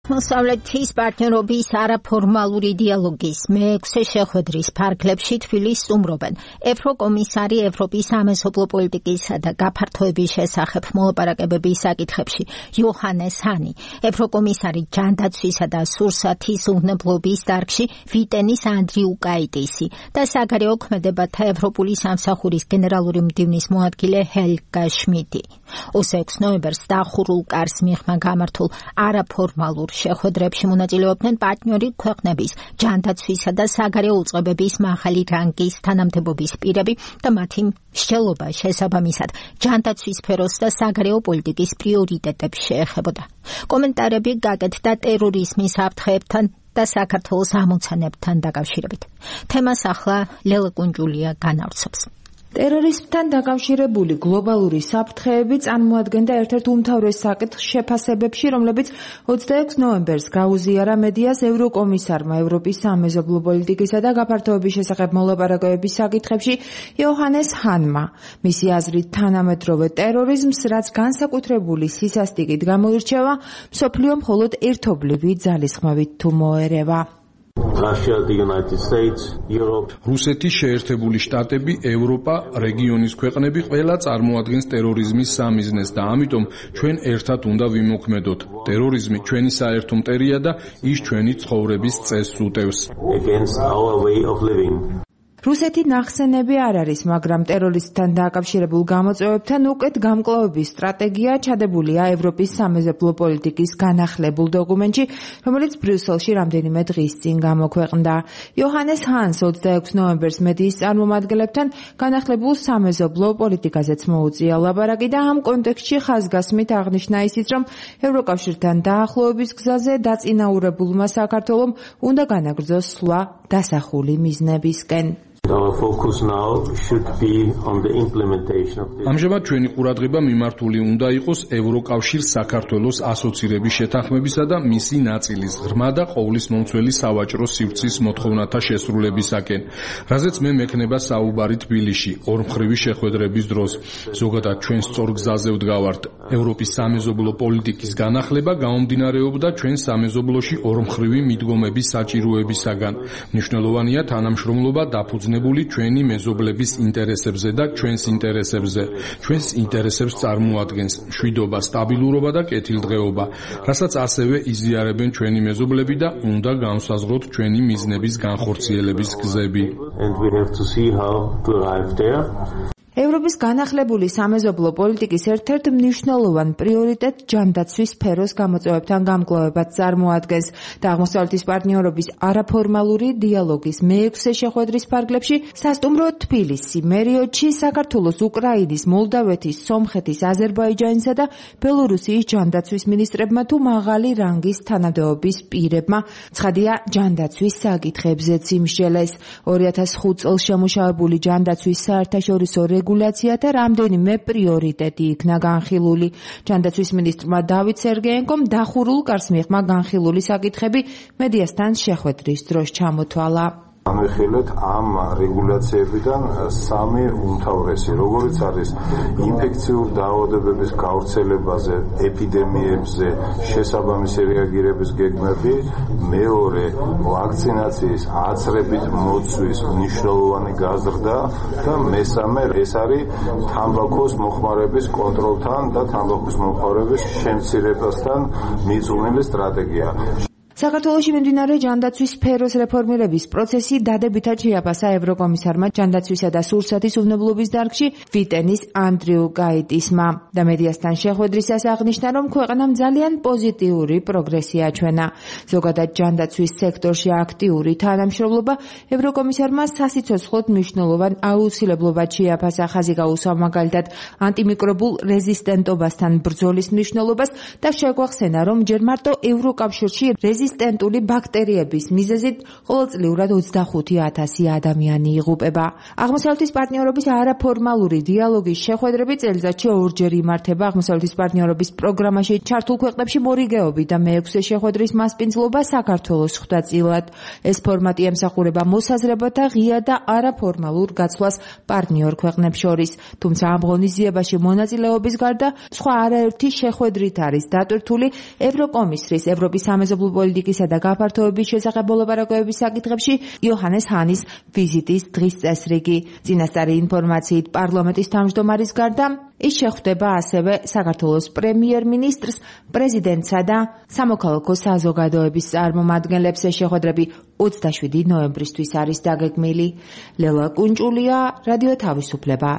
მოსავლეთის პარტნიორობის არაფორმალური დიალოგის მე-6 შეხვედრის ფარგლებში თბილისს სტუმრობენ ევროკომისარი ევროპის სამეზობლო პოლიტიკისა და გაფართოების შესახებ მოლაპარაკებების საკითხებში იოჰანეს ჰანი, ევროკომისარი ჯანდაცვისა და სურსათის უვნებლობის დარგში ვიტენის ანდრიუკაიტისი და საგარეო ქმედებათა ევროპული სამსახურის გენერალური მდივნის მოადგილე ჰელგა შმიდი. 26 ნოემბერს დახურულ კარს მიღმა გამართულ არაფორმალურ შეხვედრებში მონაწილეობდნენ პარტნიორი ქვეყნების ჯანდაცვისა და საგარეო უწყებების მაღალი რანგის თანამდებობის პირები და მათი მსჯელობა შესაბამისად ჯანდაცვის სფეროს და საგარეო პოლიტიკის პრიორიტეტებს შეეხებოდა. კომენტარები გაკეთდა ტერორიზმის საფრთხეებთან და საქართველოს ამოცანებთან დაკავშირებით. თემას ახლა ლელა კუნჯულია განავრცობს. ტერორიზმთან დაკავშირებული გლობალური საფრთხეები წარმოადგენდა ერთ-ერთ უმთავრეს საკითხს შეფასებებში, რომლებიც 26 ნოემბერს გაუზიარა მედიას ევროკომისარმა ევროპის სამეზობლო პოლიტიკისა და გაფართოების შესახებ მოლაპარაკებების საკითხებში იოჰანეს ჰანმა. მისი აზრით, თანამედროვე ტერორიზმს, რაც განსაკუთრებული სისასტიკით გამოირჩევა, მსოფლიო მხოლოდ ერთობლივი ძალისხმევით თუ მოერევა. რუსეთი, შეერთებული შტატები, ევროპა, რეგიონის ქვეყნები ყველა წარმოადგენს ტერორიზმის სამიზნეს და ამიტომ ჩვენ ერთად უნდა ვიმოქმედოთ. ტერორიზმი ჩვენი საერთო მტერია და ის ჩვენი ცხოვრების წესს უტევს. რუსეთი ნახსენები არ არის, მაგრამ ტერორიზმთან დაკავშირებულ გამოწვევებთან უკეთ გამკლავების სტრატეგია ჩადებულია ევროპის სამეზობლო პოლიტიკის განახლებულ დოკუმენტში, რომელიც ბრიუსელში რამდენიმე დღის წინ გამოქვეყნდა. იოჰანეს ჰანს 26 ნოემბერს მედიის წარმომადგენლებთან განახლებულ სამეზობლო პოლიტიკაზეც მოუწია ლაპარაკი და ამ კონტექსტში ხაზგასმით აღნიშნა ისიც, რომ ევროკავშირთან დაახლოების გზაზე დაწინაურებულმა საქართველომ უნდა განაგრძოს სვლა დასახული მიზნებისკენ. ამჟამად ჩვენი ყურადღება მიმართული უნდა იყოს ევროკავშირს საქართველოს ასოცირების შეთანხმებისა და მისი ნაწილის ღრმა და ყოვლის მომცველი სავაჭრო სივრცის მოთხოვნათა შესრულებისაკენ, რაზეც მე მექნება საუბარი თბილისში ორმხრივი შეხვედრების დროს. ზოგადად ჩვენ სწორ გზაზე ვდგავართ. ევროპის სამეზობლო პოლიტიკის განახლება გამომდინარეობდა ჩვენ სამეზობლოში ორმხრივი მიდგომების საჭიროებისაგან. მნიშვნელოვანია თანამშრომლობა დაფუძნებული ჩვენი მეზობლების ინტერესებზე და ჩვენს ინტერესებზე. ჩვენს ინტერესებს წარმოადგენს მშვიდობა, სტაბილურობა და კეთილდღეობა, რასაც ასევე იზიარებენ ჩვენი მეზობლები და უნდა განსაზღვროთ ჩვენი მიზნების განხორციელების გზები. ევროპის განახლებული სამეზობლო პოლიტიკის ერთ-ერთ მნიშვნელოვან პრიორიტეტ ჯანდაცვის სფეროს გამოწვევებთან გამკლავებაც წარმოადგენს და აღმოსავლეთის პარტნიორობის არაფორმალური დიალოგის მე-6 შეხვედრის ფარგლებში სასტუმრო თბილისი, მერიოდში საქართველოს, უკრაინის, მოლდავეთის, სომხეთის, აზერბაიჯანისა და ბელორუსიის ჯანდაცვის მინისტრებმა თუ მაღალი რანგის თანამდებობის პირებმა ცხადია ჯანდაცვის საკითხებზეც იმსჯელეს. 2005 წელს შემუშავებული ჯანდაცვის საერთაშორისო რეგულაცია და რამდენიმე პრიორიტეტი იქნა განხილული. ჯანდაცვის მინისტრმა დავით სერგეენკომ დახურულ კარს მიღმა განხილული საკითხები მედიასთან შეხვედრის დროს ჩამოთვალა. განვიხილეთ ამ რეგულაციებიდან სამი უმთავრესი, როგორც არის ინფექციურ დაავადებების გავრცელებაზე, ეპიდემიებზე შესაბამისი რეაგირების გეგმები, მეორე ვაქცინაციის აცრებით მოცვის მნიშვნელოვანი გაზრდა და მესამე ეს არის თამბაქოს მოხმარების კონტროლთან და თამბაქოს მოხმარების შემცირებასთან მიძღვნილი სტრატეგია. საქართველოში მიმდინარე ჯანდაცვის სფეროს რეფორმირების პროცესი დადებითად შეაფასა ევროკომისარმა ჯანდაცვისა და სურსათის უვნებლობის დარგში ვიტენის ანდრიუკაიტისმა და მედიასთან შეხვედრისას აღნიშნა, რომ ქვეყნამ ძალიან პოზიტიური პროგრესი აჩვენა. ზოგადად ჯანდაცვის სექტორში აქტიური თანამშრომლობა ევროკომისარმა სასიცოცხლოდ მნიშვნელოვან აუცილებლობად შეაფასა. ხაზი გაუსვა მაგალითად ანტიმიკრობულ რეზისტენტობასთან ბრძოლის მნიშვნელობას და შეგვახსენა, რომ ჯერ მარტო ევროკავშირში რეზისტენტული ბაქტერიების მიზეზით ყოველწლიურად 25,000 ადამიანი იღუპება. აღმოსავლეთის პარტნიორობის არაფორმალური დიალოგის შეხვედრები წელიწადში ორჯერ იმართება. აღმოსავლეთის პარტნიორობის პროგრამაში ჩართულ ქვეყნებში მორიგეობით და მე-6 შეხვედრის მასპინძლობა საქართველოს ხვდა წილად. ეს ფორმატი ემსახურება მოსაზრებათა ღია და არაფორმალურ გაცვლას პარტნიორ ქვეყნებს შორის. თუმცა ამ ღონისძიებაში მონაწილეობის გარდა სხვა არაერთი შეხვედრით არის დატვირთული ევროკომისრის, ევროპის სამეზობლო პოლიტიკისა და გაფართოების შესახებ მოლაპარაკებების საკითხებში იოჰანეს ჰანის ვიზიტის დღის წესრიგი. წინასწარი ინფორმაციით პარლამენტის თავმჯდომარის გარდა ის შეხვდება ასევე საქართველოს პრემიერ-მინისტრს, პრეზიდენტსა და სამოქალაქო საზოგადოების წარმომადგენლებს. ეს შეხვედრები 27 ნოემბრისთვის არის დაგეგმილი. ლელა კუნჭულია, რადიო თავისუფლება.